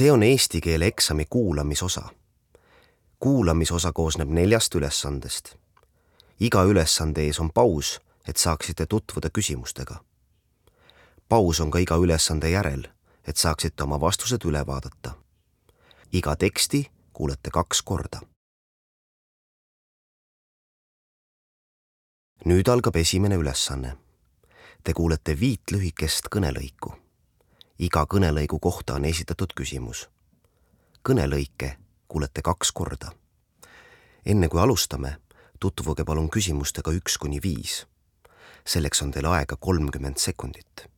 See on eesti keele eksami kuulamisosa. Kuulamisosa koosneb 4 ülesandest. Iga ülesande ees on paus, et saaksite tutvuda küsimustega. Paus on ka iga ülesande järel, et saaksite oma vastused üle vaadata. Iga teksti kuulete 2 korda. Nüüd algab esimene ülesanne. Te kuulete 5 lühikest kõnelõiku. Iga kõnelõigu kohta on esitatud küsimus. Kõnelõike kuulete 2 korda. Enne kui alustame, tutvuge palun küsimustega 1–5. Selleks on teil aega 30 sekundit.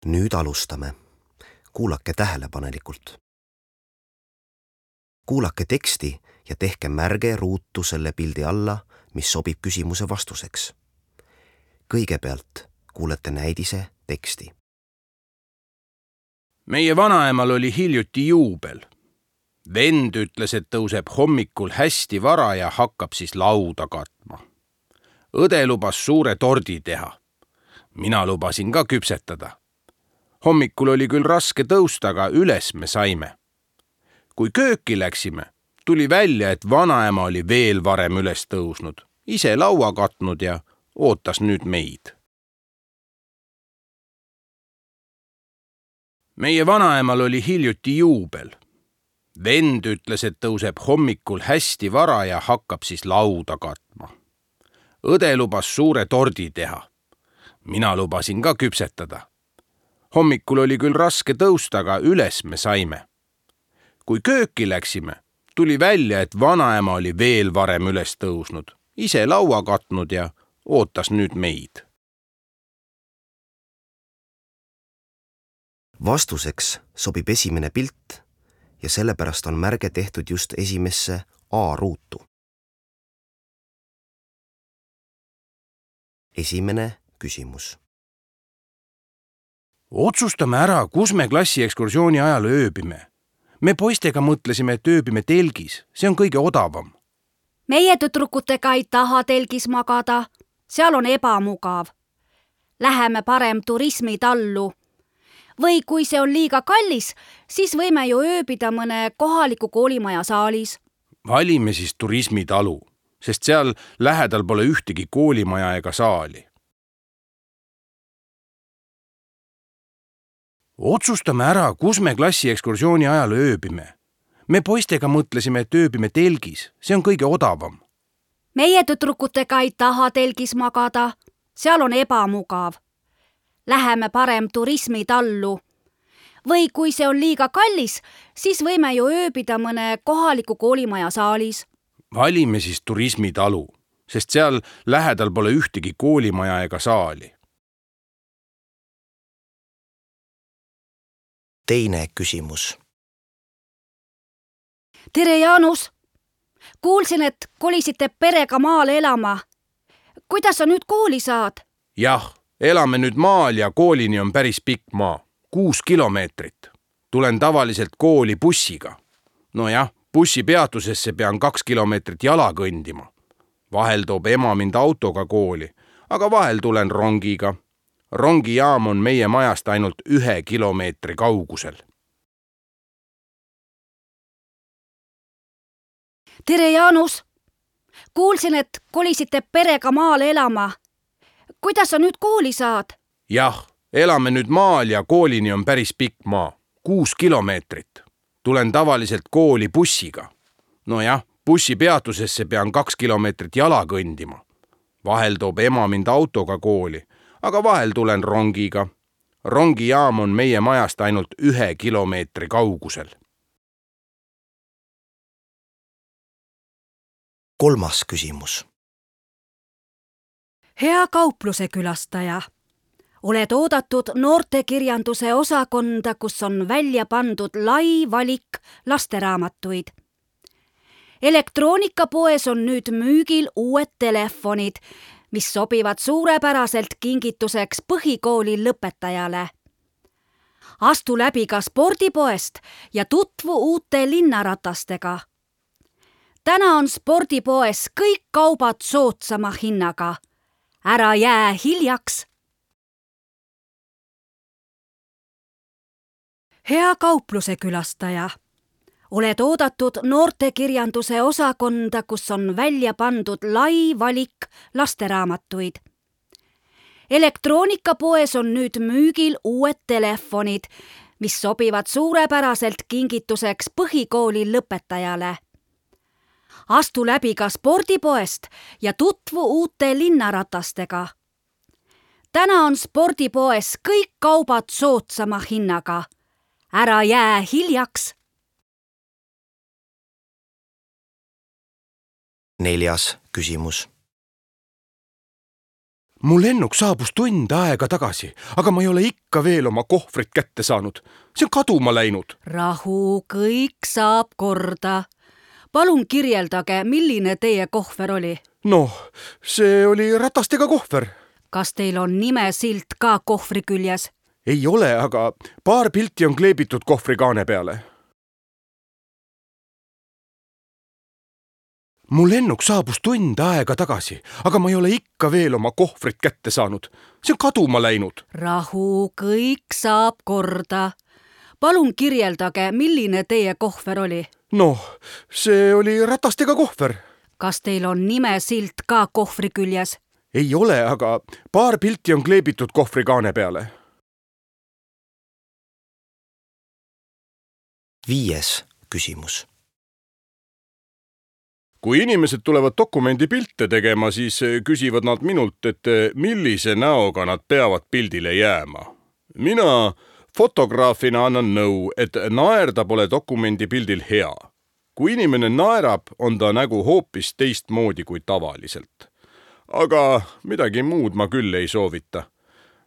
Nüüd alustame. Kuulake tähelepanelikult. Kuulake teksti ja tehke märge ruutu selle pildi alla, mis sobib küsimuse vastuseks. Kõigepealt kuulete näidise teksti. Meie vanaemal oli hiljuti juubel. Vend ütles, et tõuseb hommikul hästi vara ja hakkab siis lauda katma. Õde lubas suure tordi teha. Mina lubasin ka küpsetada. Hommikul oli küll raske tõusta, aga üles me saime. Kui kööki läksime, tuli välja, et vanaema oli veel varem üles tõusnud, ise laua katnud ja ootas nüüd meid. Meie vanaemal oli hiljuti juubel. Vend ütles, et tõuseb hommikul hästi vara ja hakkab siis lauda katma. Õde lubas suure tordi teha. Mina lubasin ka küpsetada. Hommikul oli küll raske tõusta, aga üles me saime. Kui kööki läksime, tuli välja, et vanaema oli veel varem üles tõusnud, ise laua katnud ja ootas nüüd meid. Vastuseks sobib esimene pilt ja sellepärast on märge tehtud just esimesse A-ruutu. Esimene küsimus. Otsustame ära, kus me klassiekskursiooni ajal ööbime. Me poistega mõtlesime, et ööbime telgis. See on kõige odavam. Meie tüdrukutega ei taha telgis magada. Seal on ebamugav. Läheme parem turismitallu. Või kui see on liiga kallis, siis võime ju ööbida mõne kohaliku koolimaja saalis. Valime siis turismitalu, sest seal lähedal pole ühtegi koolimaja ega saali. Otsustame ära, kus me klassiekskursiooni ajal ööbime. Me poistega mõtlesime, et ööbime telgis. See on kõige odavam. Meie tüdrukutega ei taha telgis magada. Seal on ebamugav. Läheme parem turismitallu. Või kui see on liiga kallis, siis võime ju ööbida mõne kohaliku koolimaja saalis. Valime siis turismitalu, sest seal lähedal pole ühtegi koolimaja ega saali. Teine küsimus. Tere, Jaanus! Kuulsin, et kolisite perega maale elama. Kuidas sa nüüd kooli saad? Jah, elame nüüd maal ja koolini on päris pikk maa. 6 kilomeetrit. Tulen tavaliselt kooli bussiga. Nojah, bussi peatusesse pean 2 kilomeetrit jala kõndima. Vahel toob ema mind autoga kooli, aga vahel tulen rongiga. Rongijaam on meie majast ainult 1 kilomeetri kaugusel. Tere, Jaanus! Kuulsin, et kolisite perega maale elama. Kuidas sa nüüd kooli saad? Jah, elame nüüd maal ja koolini on päris pikk maa. 6 kilomeetrit. Tulen tavaliselt kooli bussiga. Nojah, bussi peatusesse pean 2 kilomeetrit jala kõndima. Vahel toob ema mind autoga kooli, aga vahel tulen rongiga. Rongijaam on meie majast ainult 1 kilomeetri kaugusel. Kolmas küsimus. Hea kaupluse külastaja. oled oodatud noortekirjanduse osakonda, kus on välja pandud lai valik lasteraamatuid. Elektroonikapoes on nüüd müügil uued telefonid, mis sobivad suurepäraselt kingituseks põhikooli lõpetajale. Astu läbi ka spordipoest ja tutvu uute linnaratastega. Täna on spordipoes kõik kaubad soodsama hinnaga. Ära jää hiljaks. Hea kaupluse külastaja, oled oodatud noortekirjanduse osakonda, kus on välja pandud lai valik lasteraamatuid. Elektroonikapoes on nüüd müügil uued telefonid, mis sobivad suurepäraselt kingituseks põhikooli lõpetajale. Astu läbi ka spordipoest ja tutvu uute linnaratastega. Täna on spordipoes kõik kaubad soodsama hinnaga. Ära jää hiljaks. 4. küsimus. Mu lennuk saabus tund aega tagasi, aga ma ei ole ikka veel oma kohvrit kätte saanud. See on kaduma läinud. Rahu, kõik saab korda. Palun kirjeldage, milline teie kohver oli. See oli ratastega kohver. Kas teil on nimesilt ka kohvri küljes? Ei ole, aga paar pilti on kleebitud kohvrikaane peale. Mu lennuk saabus tund aega tagasi, aga ma ei ole ikka veel oma kohvrit kätte saanud. See on kaduma läinud. Rahu, kõik saab korda. Palun kirjeldage, milline teie kohver oli. See oli ratastega kohver. Kas teil on nimesilt ka kohvri küljes? Ei ole, aga paar pilti on kleebitud kohvrikaane peale. 5. küsimus. Kui inimesed tulevad dokumendi pilte tegema, siis küsivad nad minult, et millise näoga nad peavad pildile jääma. Mina fotograafina annan nõu, et naerda pole dokumendi pildil hea. Kui inimene naerab, on ta nägu hoopis teistmoodi kui tavaliselt. Aga midagi muud ma küll ei soovita.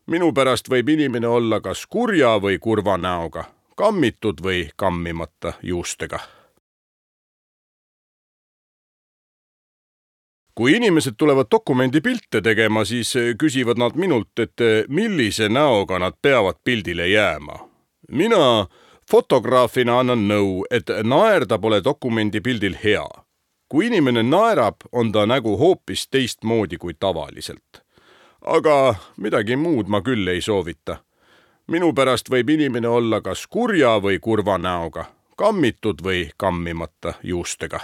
Minu pärast võib inimene olla kas kurja või kurva näoga, kammitud või kammimata juustega. Kui inimesed tulevad dokumendi pilte tegema, siis küsivad nad minult, et millise näoga nad peavad pildile jääma. Mina fotograafina annan nõu, et naerda pole dokumendi pildil hea. Kui inimene naerab, on ta nägu hoopis teistmoodi kui tavaliselt. Aga midagi muud ma küll ei soovita. Minu pärast võib inimene olla kas kurja või kurva näoga, kammitud või kammimata juustega.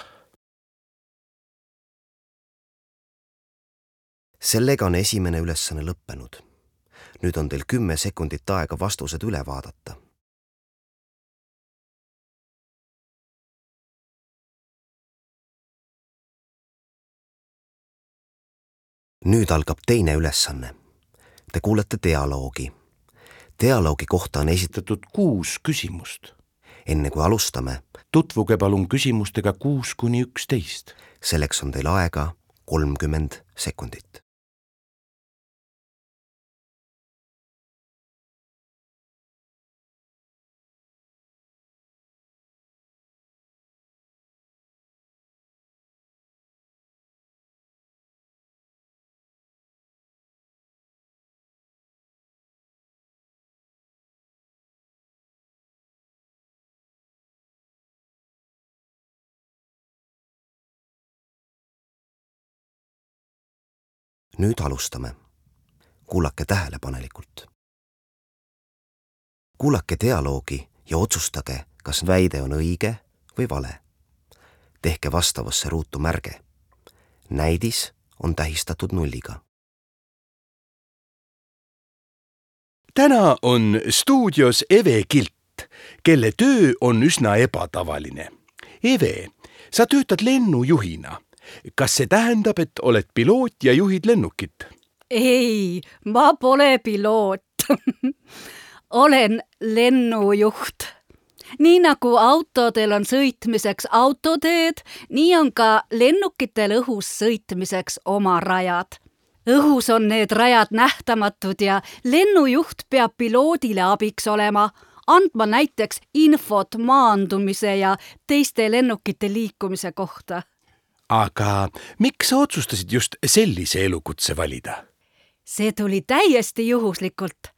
Sellega on esimene ülesanne lõppenud. Nüüd on teil 10 sekundit aega vastused üle vaadata. Nüüd algab teine ülesanne. Te kuulete dialoogi. Dialoogi kohta on esitatud 6 küsimust. Enne kui alustame, Tutvuge palun küsimustega 6–11. Selleks on teil aega 30 sekundit. Nüüd alustame. Kuulake tähelepanelikult. Kuulake dialoogi ja otsustage, kas väide on õige või vale. Tehke vastavasse ruutu märge. Näidis on tähistatud nulliga. Täna on stuudios Eve Kilt, kelle töö on üsna ebatavaline. Eve, sa töötad lennujuhina. Kas see tähendab, et oled piloot ja juhid lennukit? Ei, ma pole piloot. Olen lennujuht. Nii nagu autodel on sõitmiseks autoteed, nii on ka lennukitel õhus sõitmiseks oma rajad. õhus on need rajad nähtamatud ja lennujuht peab piloodile abiks olema, andma näiteks infot maandumise ja teiste lennukite liikumise kohta. Aga miks sa otsustasid just sellise elukutse valida? See tuli täiesti juhuslikult.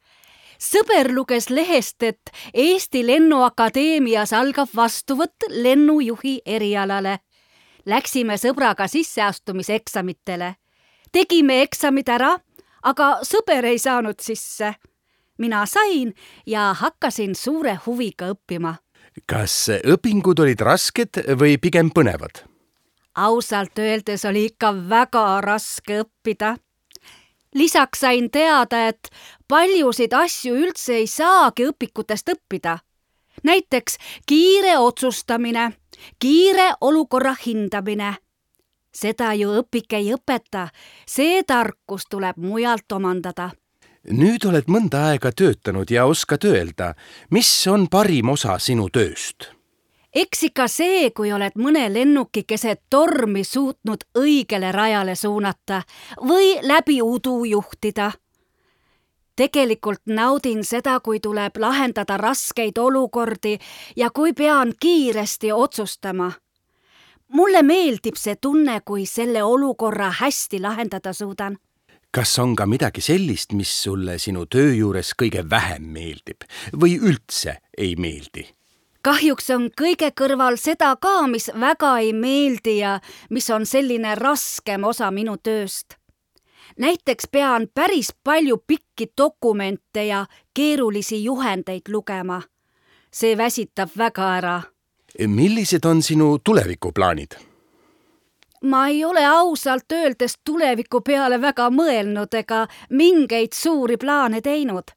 Sõber luges lehest, et Eesti Lennuakadeemias algab vastuvõtt lennujuhi erialale. Läksime sõbraga sisseastumiseksamitele. Tegime eksamid ära, aga sõber ei saanud sisse. Mina sain ja hakkasin suure huviga õppima. Kas õpingud olid rasked või pigem põnevad? Ausalt öeldes oli ikka väga raske õppida. Lisaks sain teada, et paljusid asju üldse ei saagi õpikutest õppida. Näiteks kiire otsustamine, kiire olukorra hindamine. Seda ju õpik ei õpeta, see tarkus tuleb mujalt omandada. Nüüd oled mõnda aega töötanud ja oskad öelda, mis on parim osa sinu tööst? Eks ikka see, kui oled mõne lennuki keset tormi suutnud õigele rajale suunata või läbi udu juhtida. Tegelikult naudin seda, kui tuleb lahendada raskeid olukordi ja kui pean kiiresti otsustama. Mulle meeldib see tunne, kui selle olukorra hästi lahendada suudan. Kas on ka midagi sellist, mis sulle sinu töö juures kõige vähem meeldib või üldse ei meeldi? Kahjuks on kõige kõrval seda ka, mis väga ei meeldi ja mis on selline raskem osa minu tööst. Näiteks pean päris palju pikki dokumente ja keerulisi juhendeid lugema. See väsitab väga ära. Millised on sinu tulevikuplaanid? Ma ei ole ausalt öeldes tuleviku peale väga mõelnud ega mingeid suuri plaane teinud.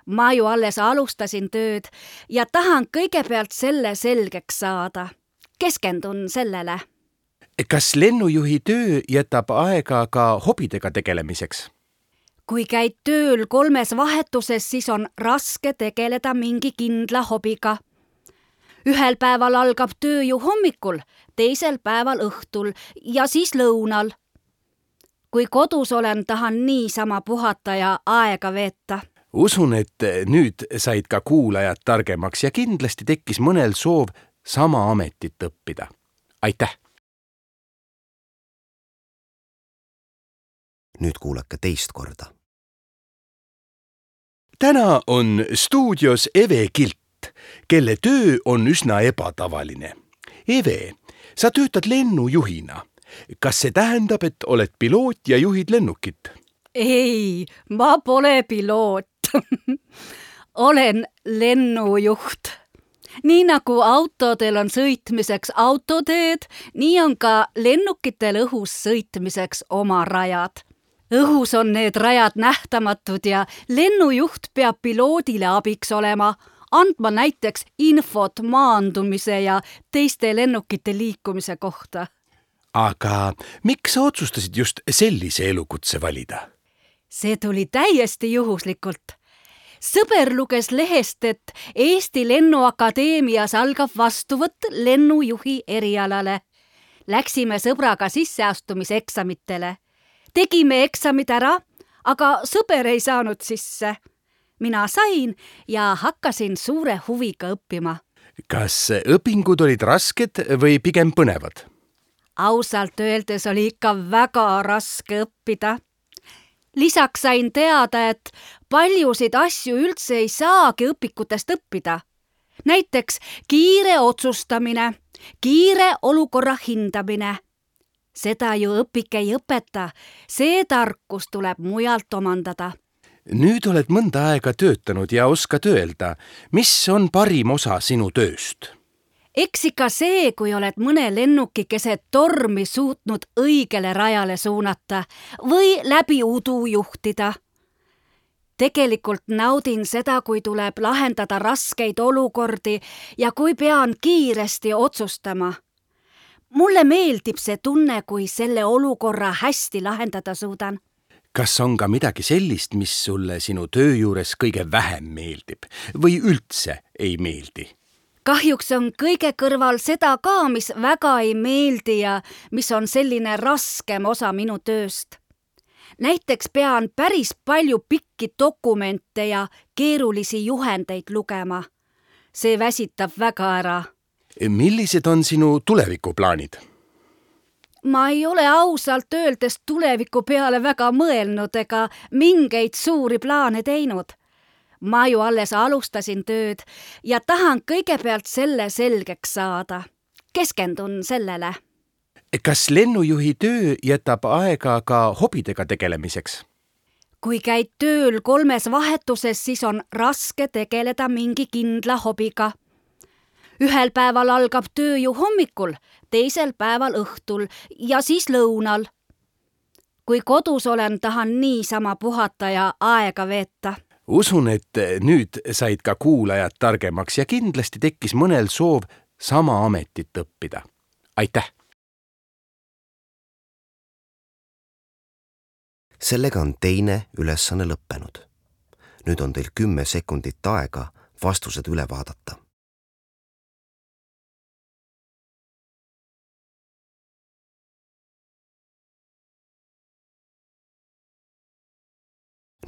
Ma ju alles alustasin tööd ja tahan kõigepealt selle selgeks saada. Keskendun sellele. Kas lennujuhi töö jätab aega ka hobidega tegelemiseks? Kui käid tööl 3 vahetuses, siis on raske tegeleda mingi kindla hobiga. Ühel päeval algab töö ju hommikul, teisel päeval õhtul ja siis lõunal. Kui kodus olen, tahan niisama puhata ja aega veeta. Usun, et nüüd said ka kuulajad targemaks ja kindlasti tekkis mõnel soov sama ametit õppida. Aitäh! Nüüd kuulake teist korda. Täna on stuudios Eve Kilt, kelle töö on üsna ebatavaline. Eve, sa töötad lennujuhina. Kas see tähendab, et oled piloot ja juhid lennukit? Ei, ma pole piloot. Olen lennujuht. Nii nagu autodel on sõitmiseks autoteed, nii on ka lennukitel õhus sõitmiseks oma rajad. Õhus on need rajad nähtamatud ja lennujuht peab piloodile abiks olema, andma näiteks infot maandumise ja teiste lennukite liikumise kohta. Aga miks sa otsustasid just sellise elukutse valida? See tuli täiesti juhuslikult. Sõber luges lehest, et Eesti Lennuakadeemias algab vastuvõtt lennujuhi erialale. Läksime sõbraga sisseastumiseksamitele. Tegime eksamid ära, aga sõber ei saanud sisse. Mina sain ja hakkasin suure huviga õppima. Kas õpingud olid rasked või pigem põnevad? Ausalt öeldes oli ikka väga raske õppida. Lisaks sain teada, et paljusid asju üldse ei saagi õpikutest õppida. Näiteks kiire otsustamine, kiire olukorra hindamine. Seda ju õpik ei õpeta, see tarkus tuleb mujalt omandada. Nüüd oled mõnda aega töötanud ja oskad öelda, mis on parim osa sinu tööst? Eks ikka see, kui oled mõne lennuki keset tormi suutnud õigele rajale suunata või läbi udu juhtida. Tegelikult naudin seda, kui tuleb lahendada raskeid olukordi ja kui pean kiiresti otsustama. Mulle meeldib see tunne, kui selle olukorra hästi lahendada suudan. Kas on ka midagi sellist, mis sulle sinu töö juures kõige vähem meeldib või üldse ei meeldi? Kahjuks on kõige kõrval seda ka, mis väga ei meeldi ja mis on selline raskem osa minu tööst. näiteks pean päris palju pikki dokumente ja keerulisi juhendeid lugema. See väsitab väga ära. Millised on sinu tulevikuplaanid? Ma ei ole ausalt öeldes tuleviku peale väga mõelnud ega mingeid suuri plaane teinud. Ma ju alles alustasin tööd ja tahan kõigepealt selle selgeks saada. Keskendun sellele. Kas lennujuhi töö jätab aega ka hobidega tegelemiseks? Kui käid tööl 3 vahetuses, siis on raske tegeleda mingi kindla hobiga. Ühel päeval algab töö ju hommikul, teisel päeval õhtul ja siis lõunal. Kui kodus olen, tahan niisama puhata ja aega veeta. Usun, et nüüd said ka kuulajad targemaks ja kindlasti tekkis mõnel soov sama ametit õppida. Aitäh! Sellega on teine ülesanne lõppenud. Nüüd on teil 10 sekundit aega vastused üle vaadata.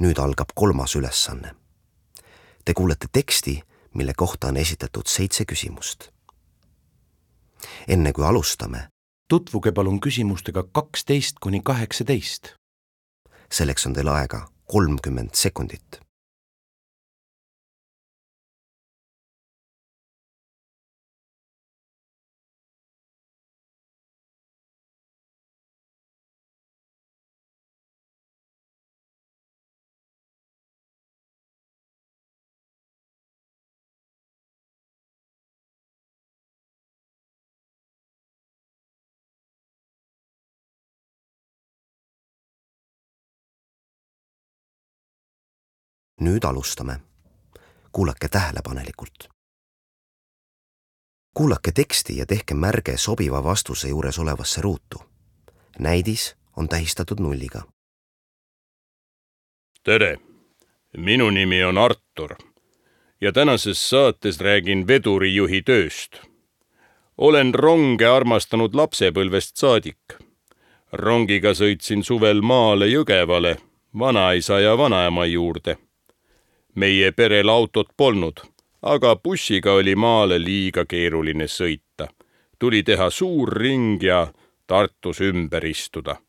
Nüüd algab 3. ülesanne. Te kuulete teksti, mille kohta on esitatud 7 küsimust. Enne kui alustame, tutvuge palun küsimustega 12–18. Selleks on teil aega 30 sekundit. Nüüd alustame. Kuulake tähelepanelikult. Kuulake teksti ja tehke märge sobiva vastuse juures olevasse ruutu. Näidis on tähistatud 0-ga. Tere! Minu nimi on Artur ja tänases saates räägin vedurijuhi tööst. Olen ronge armastanud lapsepõlvest saadik. Rongiga sõitsin suvel maale Jõgevale, vanaisa ja vanaema juurde. Meie perel autot polnud, aga bussiga oli maale liiga keeruline sõita. Tuli teha suur ring ja Tartus ümber istuda.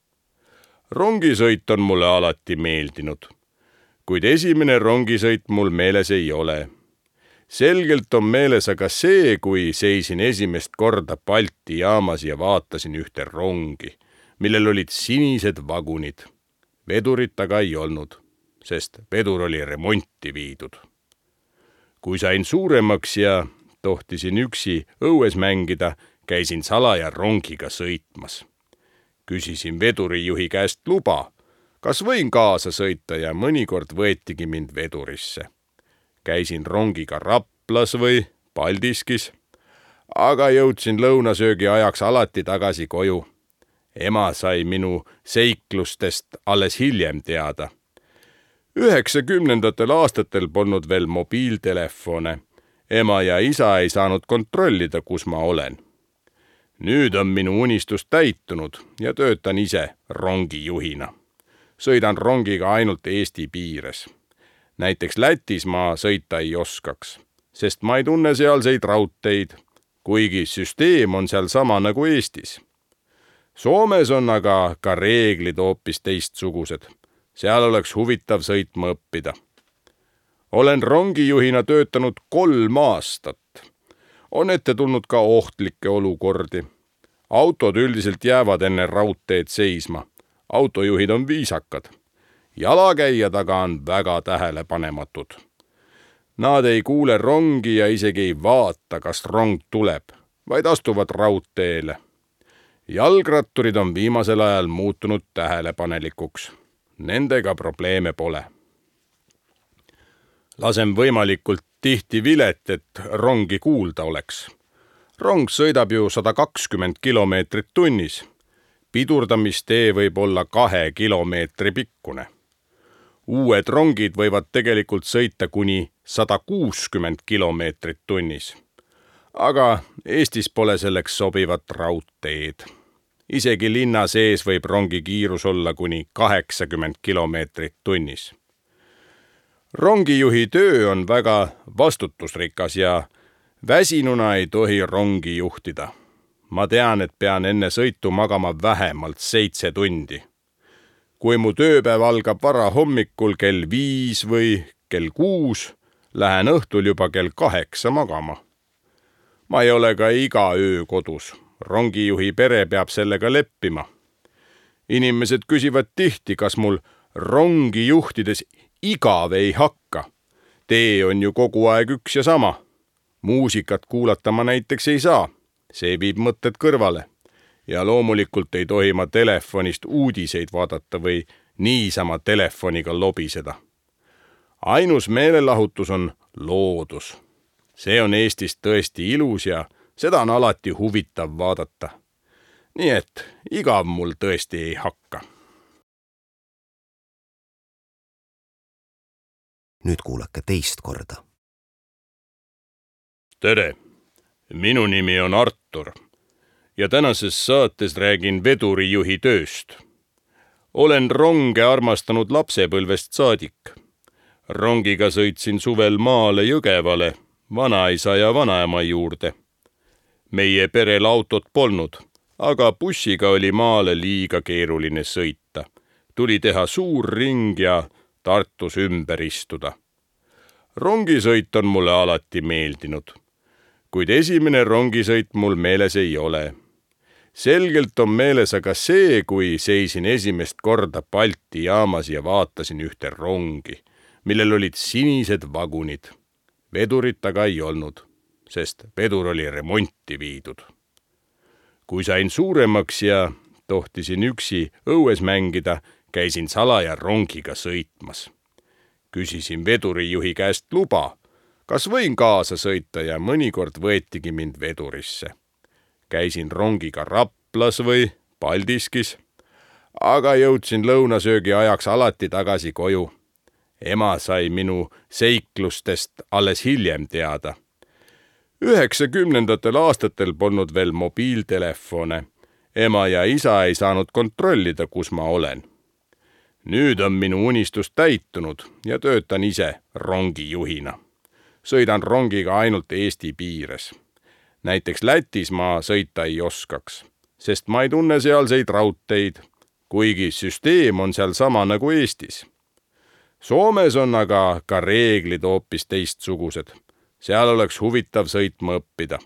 Rongisõit on mulle alati meeldinud, kuid esimene rongisõit mul meeles ei ole. Selgelt on meeles aga see, kui seisin esimest korda Balti jaamas ja vaatasin ühte rongi, millel olid sinised vagunid. Vedurit aga ei olnud, sest vedur oli remonti viidud. Kui sain suuremaks ja tohtisin üksi õues mängida, käisin salaja rongiga sõitmas. Küsisin vedurijuhi käest luba, kas võin kaasa sõita ja mõnikord võetigi mind vedurisse. Käisin rongiga Raplas või Paldiskis, aga jõudsin lõunasöögi ajaks alati tagasi koju. Ema sai minu seiklustest alles hiljem teada. 90. aastatel polnud veel mobiiltelefone. Ema ja isa ei saanud kontrollida, kus ma olen. Nüüd on minu unistus täitunud ja töötan ise rongijuhina. Sõidan rongiga ainult Eesti piires. Näiteks Lätis ma sõita ei oskaks, sest ma ei tunne sealseid raudteid, kuigi süsteem on seal sama nagu Eestis. Soomes on aga ka reeglid hoopis teistsugused. Seal oleks huvitav sõitma õppida. Olen rongijuhina töötanud 3 aastat. On ette tulnud ka ohtlikke olukordi. Autod üldiselt jäävad enne raudteed seisma. Autojuhid on viisakad. Jalakäijad aga on väga tähelepanematud. Nad ei kuule rongi ja isegi ei vaata, kas rong tuleb, vaid astuvad raudteele. Jalgratturid on viimasel ajal muutunud tähelepanelikuks. Nendega probleeme pole. Lasen võimalikult tihti vilet, et rongi kuulda oleks. Rong sõidab ju 120 kilomeetrit tunnis. Pidurdamistee võib olla 2 kilomeetri pikkune. Uued rongid võivad tegelikult sõita kuni 160 kilomeetrit tunnis. Aga Eestis pole selleks sobivat raudteed. isegi linna sees võib rongi kiirus olla kuni 80 kilomeetrit tunnis. Rongijuhi töö on väga vastutusrikas ja väsinuna ei tohi rongi juhtida. Ma tean, et pean enne sõitu magama vähemalt 7 tundi. Kui mu tööpäev algab vara hommikul kell 5 või kell 6, lähen õhtul juba kell 8 magama. Ma ei ole ka iga öö kodus. Rongijuhi pere peab sellega leppima. Inimesed küsivad tihti, kas mul rongi juhtides igav ei hakka. Tee on ju kogu aeg üks ja sama. Muusikat kuulata ma näiteks ei saa. See viib mõtted kõrvale. Ja loomulikult ei tohi ma telefonist uudiseid vaadata või niisama telefoniga lobiseda. Ainus meelelahutus on loodus. See on Eestis tõesti ilus ja seda on alati huvitav vaadata. Nii et igav mul tõesti ei hakka. Nüüd kuulake teist korda. Tere! Minu nimi on Artur ja tänases saates räägin vedurijuhi tööst. Olen ronge armastanud lapsepõlvest saadik. Rongiga sõitsin suvel maale Jõgevale, vanaisa ja vanaema juurde. Meie perel autot polnud, aga bussiga oli maale liiga keeruline sõita. Tuli teha suur ring ja Tartus ümber istuda. Rongisõit on mulle alati meeldinud. Kuid esimene rongisõit mul meeles ei ole. Selgelt on meeles aga see, kui seisin esimest korda Balti jaamas ja vaatasin ühte rongi, millel olid sinised vagunid. Vedurit aga ei olnud, sest vedur oli remonti viidud. Kui sain suuremaks ja tohtisin üksi õues mängida, käisin salaja rongiga sõitmas. Küsisin vedurijuhi käest luba, kas võin kaasa sõita ja mõnikord võetigi mind vedurisse. Käisin rongiga Raplas või Paldiskis, aga jõudsin lõunasöögi ajaks alati tagasi koju. Ema sai minu seiklustest alles hiljem teada. 90. aastatel polnud veel mobiiltelefone. Ema ja isa ei saanud kontrollida, kus ma olen. Nüüd on minu unistus täitunud ja töötan ise rongijuhina. Sõidan rongiga ainult Eesti piires. Näiteks Lätis ma sõita ei oskaks, sest ma ei tunne sealseid raudteid, kuigi süsteem on seal sama nagu Eestis. Soomes on aga ka reeglid hoopis teistsugused. Seal oleks huvitav sõitma õppida.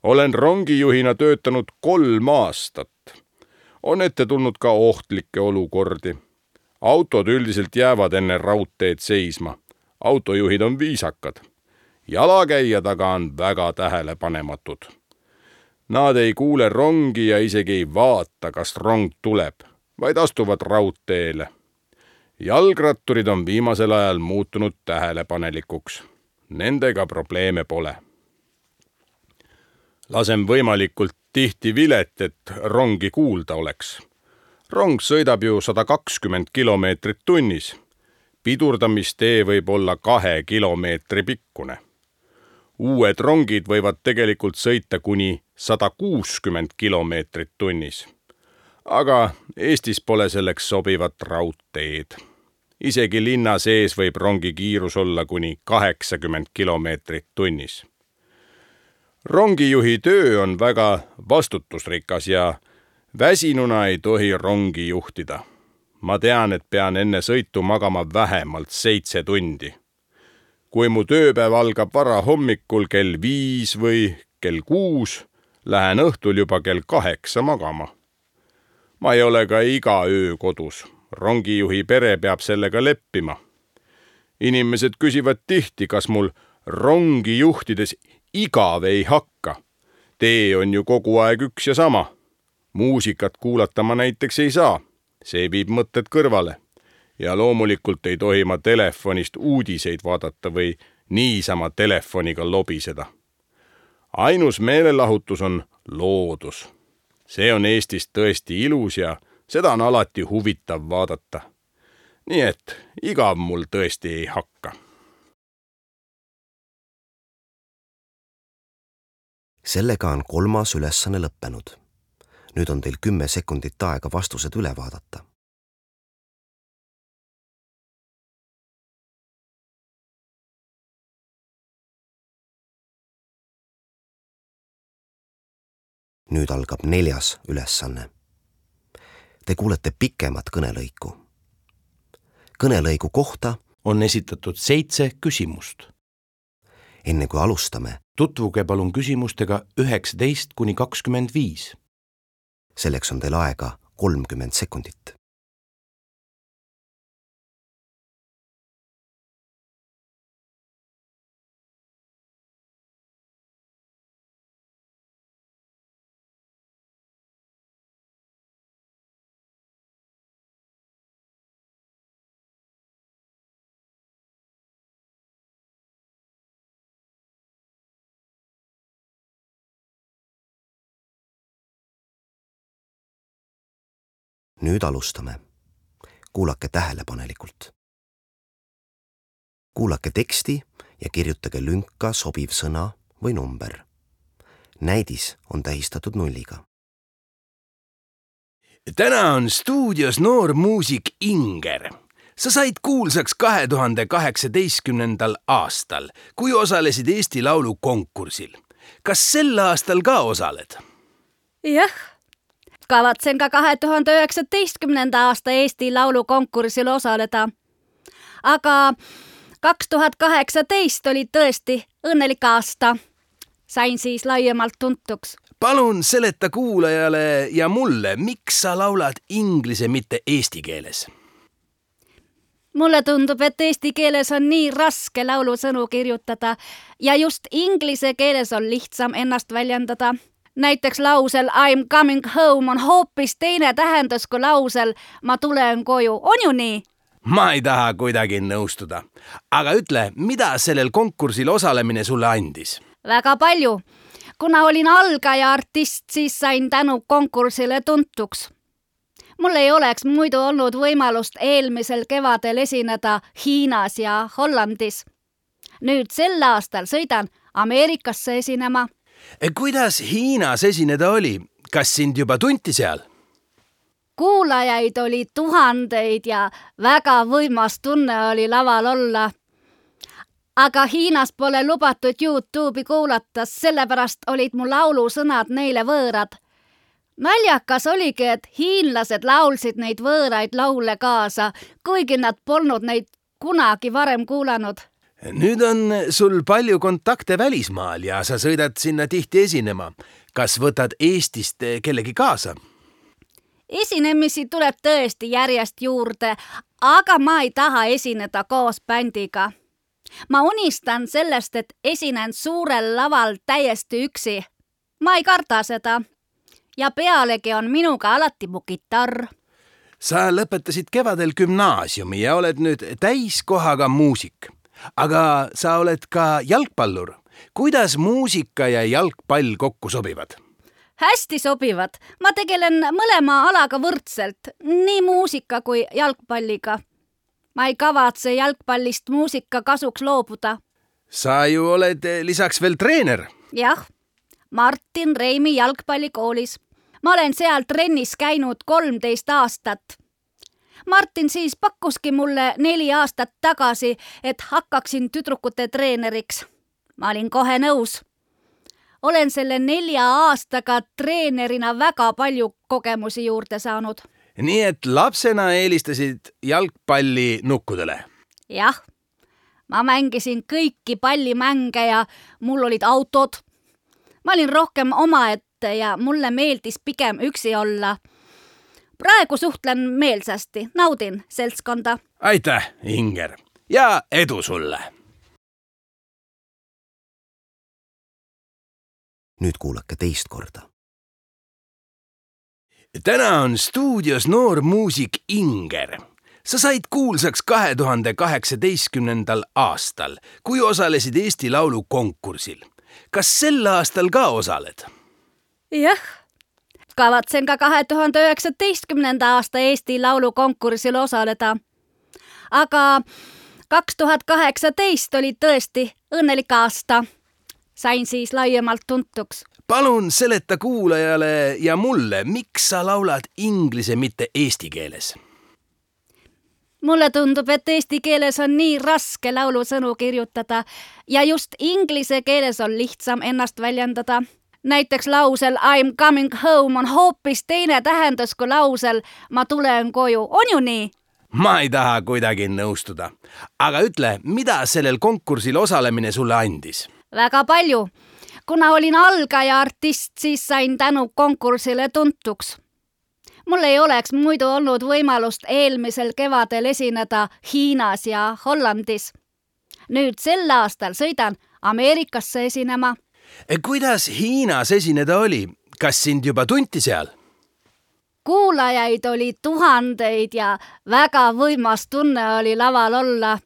Olen rongijuhina töötanud 3 aastat. On ette tulnud ka ohtlikke olukordi. Autod üldiselt jäävad enne raudteed seisma. Autojuhid on viisakad. Jalakäijad aga on väga tähelepanematud. Nad ei kuule rongi ja isegi ei vaata, kas rong tuleb, vaid astuvad raudteele. Jalgratturid on viimasel ajal muutunud tähelepanelikuks. Nendega probleeme pole. Lasen võimalikult tihti vilet, et rongi kuulda oleks. Rong sõidab ju 120 kilomeetrit tunnis. Pidurdamistee võib olla 2 kilomeetri pikkune. Uued rongid võivad tegelikult sõita kuni 160 kilomeetrit tunnis. Aga Eestis pole selleks sobivat raudteed. Isegi linna sees võib rongi kiirus olla kuni 80 kilomeetrit tunnis. Rongijuhi töö on väga vastutusrikas ja väsinuna ei tohi rongi juhtida. Ma tean, et pean enne sõitu magama vähemalt 7 tundi. Kui mu tööpäev algab vara hommikul kell 5 või kell 6, lähen õhtul juba kell 8 magama. Ma ei ole ka iga öö kodus. Rongijuhi pere peab sellega leppima. Inimesed küsivad tihti, kas mul rongi juhtides igav ei hakka. Tee on ju kogu aeg üks ja sama. Muusikat kuulata ma näiteks ei saa. See viib mõtted kõrvale. Ja loomulikult ei tohi ma telefonist uudiseid vaadata või niisama telefoniga lobiseda. Ainus meelelahutus on loodus. See on Eestis tõesti ilus ja seda on alati huvitav vaadata. Nii et igav mul tõesti ei hakka. Sellega on 3. ülesanne lõppenud. nüüd on teil 10 sekundit aega vastused üle vaadata. Nüüd algab 4. ülesanne. Te kuulete pikemat kõnelõiku. Kõnelõigu kohta on esitatud 7 küsimust. enne kui alustame, Tutvuge palun küsimustega 19–25. selleks on teil aega 30 sekundit. Nüüd alustame. Kuulake tähelepanelikult. Kuulake teksti ja kirjutage lünka sobiv sõna või number. Näidis on tähistatud 0. Täna on stuudios noor muusik Inger. Sa said kuulsaks 2018. aastal, kui osalesid Eesti Laulu konkursil. Kas sel aastal ka osaled? Jah, kavatsen ka 2019. aasta Eesti Laulu konkursil osaleda. Aga 2018 oli tõesti õnnelik aasta. Sain siis laiemalt tuntuks. Palun seleta kuulajale ja mulle, miks sa laulad inglise, mitte eesti keeles? Mulle tundub, et eesti keeles on nii raske laulusõnu kirjutada ja just inglise keeles on lihtsam ennast väljendada. Näiteks lausel I'm coming home on hoopis teine tähendus kui lausel ma tulen koju. On ju nii? Ma ei taha kuidagi nõustuda. Aga ütle, mida sellel konkursil osalemine sulle andis? Väga palju. Kuna olin algaja artist, siis sain tänu konkursile tuntuks. Mul ei oleks muidu olnud võimalust eelmisel kevadel esineda Hiinas ja Hollandis. Nüüd sel aastal sõidan Ameerikasse esinema. Kuidas Hiinas esineda oli? Kas sind juba tunti seal? Kuulajaid oli tuhandeid ja väga võimas tunne oli laval olla. Aga Hiinas pole lubatud YouTube'i kuulata, sellepärast olid mu laulusõnad neile võõrad. Naljakas oligi, et hiinlased laulsid neid võõraid laule kaasa, kuigi nad polnud neid kunagi varem kuulanud. Nüüd on sul palju kontakte välismaal ja sa sõidad sinna tihti esinema. Kas võtad Eestist kellegi kaasa? Esinemisi tuleb tõesti järjest juurde, aga ma ei taha esineda koos bändiga. Ma unistan sellest, et esinen suurel laval täiesti üksi. Ma ei karda seda. Ja pealegi on minuga alati mu kitarr. Sa lõpetasid kevadel gümnaasiumi ja oled nüüd täiskohaga muusik. Aga sa oled ka jalgpallur. Kuidas muusika ja jalgpall kokku sobivad? Hästi sobivad. Ma tegelen mõlema alaga võrdselt, nii muusika kui jalgpalliga. Ma ei kavatse jalgpallist muusika kasuks loobuda. Sa ju oled lisaks veel treener. Jah, Martin Reimi jalgpallikoolis. Ma olen seal trennis käinud 13 aastat. Martin siis pakkuski mulle 4 aastat tagasi, et hakkaksin tüdrukute treeneriks. Ma olin kohe nõus. Olen selle 4 aastaga treenerina väga palju kogemusi juurde saanud. Nii et lapsena eelistasid jalgpalli nukkudele? Jah, ma mängisin kõiki pallimänge ja mul olid autod. Ma olin rohkem omaette ja mulle meeldis pigem üksi olla. Praegu suhtlen meelsasti, naudin seltskonda. Aitäh, Inger, ja edu sulle! Nüüd kuulake teist korda. Täna on stuudios noor muusik Inger. Sa said kuulsaks 2018. aastal, kui osalesid Eesti Laulu konkursil. Kas sel aastal ka osaled? Jah, kavatsen ka 2019. aasta Eesti Laulu konkursil osaleda. Aga 2018 oli tõesti õnnelik aasta. Sain siis laiemalt tuntuks. palun seleta kuulajale ja mulle, miks sa laulad inglise, mitte eesti keeles? Mulle tundub, et eesti keeles on nii raske laulusõnu kirjutada ja just inglise keeles on lihtsam ennast väljendada. Näiteks lausel I'm coming home on hoopis teine tähendus kui lausel ma tulen koju. On ju nii? Ma ei taha kuidagi nõustuda. Aga ütle, mida sellel konkursil osalemine sulle andis? Väga palju. Kuna olin algaja artist, siis sain tänu konkursile tuntuks. Mul ei oleks muidu olnud võimalust eelmisel kevadel esineda Hiinas ja Hollandis. Nüüd sel aastal sõidan Ameerikasse esinema. Kuidas Hiinas esineda oli? Kas sind juba tunti seal? Kuulajaid oli tuhandeid ja väga võimas tunne oli laval olla.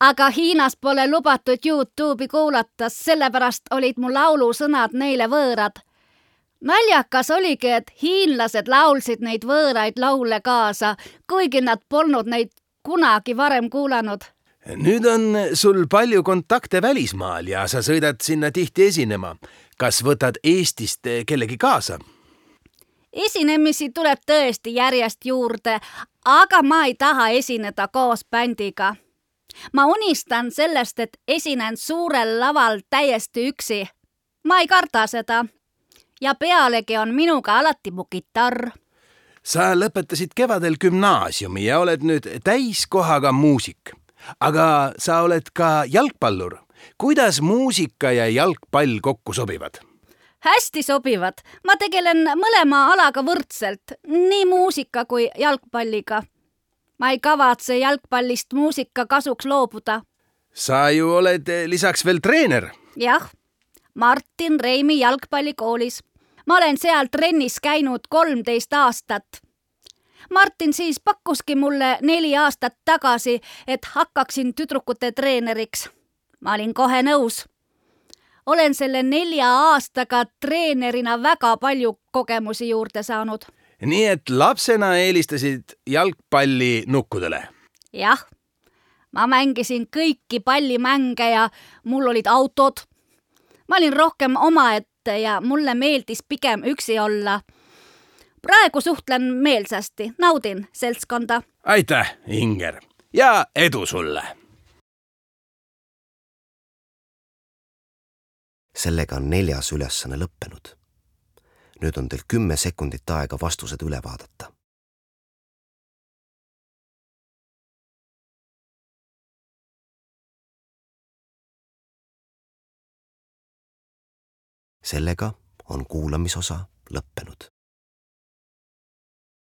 Aga Hiinas pole lubatud YouTube'i kuulata, sellepärast olid mu laulusõnad neile võõrad. Naljakas oligi, et hiinlased laulsid neid võõraid laule kaasa, kuigi nad polnud neid kunagi varem kuulanud. Nüüd on sul palju kontakte välismaal ja sa sõidad sinna tihti esinema. Kas võtad Eestist kellegi kaasa? Esinemisi tuleb tõesti järjest juurde, aga ma ei taha esineda koos bändiga. Ma unistan sellest, et esinen suurel laval täiesti üksi. Ma ei karda seda. Ja pealegi on minuga alati mu kitarr. Sa lõpetasid kevadel gümnaasiumi ja oled nüüd täiskohaga muusik. Aga sa oled ka jalgpallur. Kuidas muusika ja jalgpall kokku sobivad? Hästi sobivad. Ma tegelen mõlema alaga võrdselt, nii muusika kui jalgpalliga. Ma ei kavatse jalgpallist muusika kasuks loobuda. Sa ju oled lisaks veel treener. Jah, Martin Reimi jalgpallikoolis. Ma olen seal trennis käinud 13 aastat. Martin siis pakkuski mulle 4 aastat tagasi, et hakkaksin tüdrukute treeneriks. Ma olin kohe nõus. Olen selle 4 aastaga treenerina väga palju kogemusi juurde saanud. Nii et lapsena eelistasid jalgpalli nukkudele? Jah, ma mängisin kõiki pallimänge ja mul olid autod. Ma olin rohkem omaette ja mulle meeldis pigem üksi olla. Praegu suhtlen meelsasti, naudin seltskonda. Aitäh, Inger, ja edu sulle! Sellega on 4. ülesanne lõppenud. Nüüd on teil 10 sekundit aega vastused üle vaadata. Sellega on kuulamisosa lõppenud.